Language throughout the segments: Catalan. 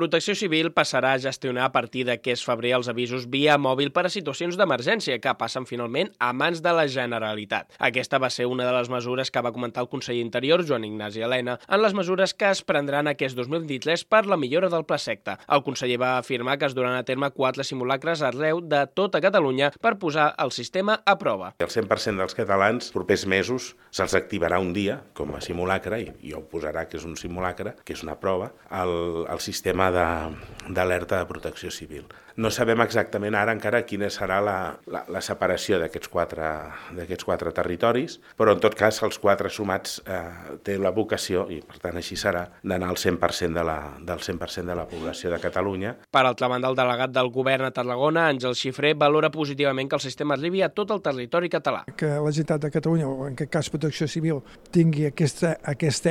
Protecció Civil passarà a gestionar a partir d'aquest febrer els avisos via mòbil per a situacions d'emergència que passen finalment a mans de la Generalitat. Aquesta va ser una de les mesures que va comentar el conseller Interior, Joan Ignasi Elena, en les mesures que es prendran aquest 2023 per la millora del plaseqta. El conseller va afirmar que es duran a terme 4 simulacres arreu de tota Catalunya per posar el sistema a prova. El 100% dels catalans, propers mesos, se'ls activarà un dia com a simulacre, i ho posarà que és un simulacre, que és una prova, el sistema d'alerta de protecció civil. No sabem exactament ara encara quina serà la separació d'aquests quatre territoris, però en tot cas els 4 sumats té la vocació, i per tant així serà, d'anar al 100% del 100% de la població de Catalunya. Per altra banda, el delegat del govern a Tarragona, Àngel Xifré, valora positivament que el sistema arribi a tot el territori català. Que la Generalitat de Catalunya, o en aquest cas Protecció Civil, tingui aquesta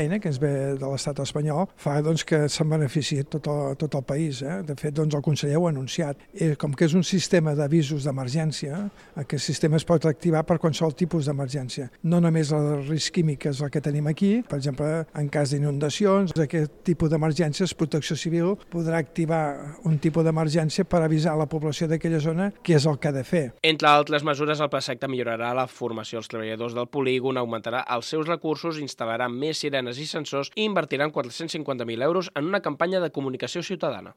eina que ens ve de l'estat espanyol, fa que se'n benefici tot el país. De fet, el conseller ho ha anunciat. Com que és un sistema d'avisos d'emergència, aquest sistema es pot activar per qualsevol tipus d'emergència. No només el risc químic, que és el que tenim aquí, per exemple, en cas d'inundacions, aquest tipus d'emergències, Protecció Civil podrà activar un tipus d'emergència per avisar a la població d'aquella zona què és el que ha de fer. Entre altres mesures, el plaseqta millorarà la formació als treballadors del polígon, augmentarà els seus recursos, instal·larà més sirenes i sensors i invertirà 450.000 euros en una campanya de comunicació ciutadana.